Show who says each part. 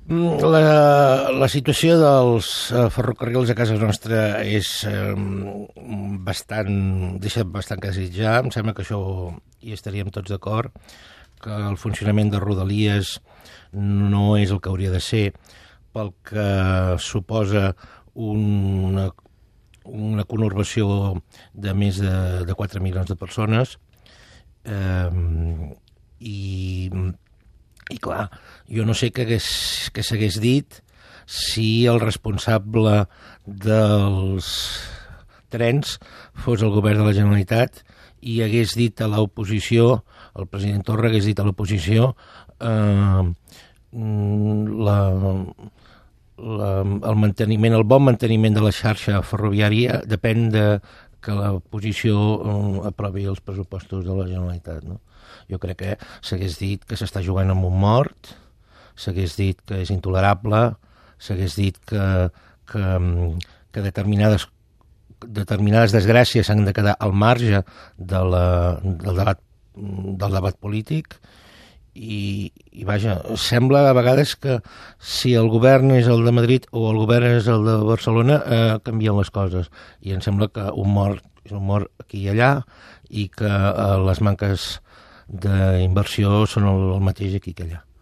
Speaker 1: La situació dels ferrocarrils a casa nostra deixa bastant que desitjar. Em sembla que això hi estaríem tots d'acord, que el funcionament de Rodalies no és el que hauria de ser, pel que suposa una conurbació de més de 4 milions de persones. I clar, jo no sé què s'hagués dit si el responsable dels trens fos el govern de la Generalitat i hagués dit a l'oposició, el president Torra hagués dit a l'oposició el bon manteniment de la xarxa ferroviària depèn de que l'oposició aprovi els pressupostos de la Generalitat, no? Jo crec que s'hagués dit que s'està jugant amb un mort, s'hagués dit que és intolerable, s'hagués dit que determinades desgràcies s'han de quedar al marge del debat polític i vaja, sembla a vegades que si el govern és el de Madrid o el govern és el de Barcelona canvien les coses i em sembla que un mort és un mort aquí i allà i que les manques d'inversió són el mateix aquí que allà.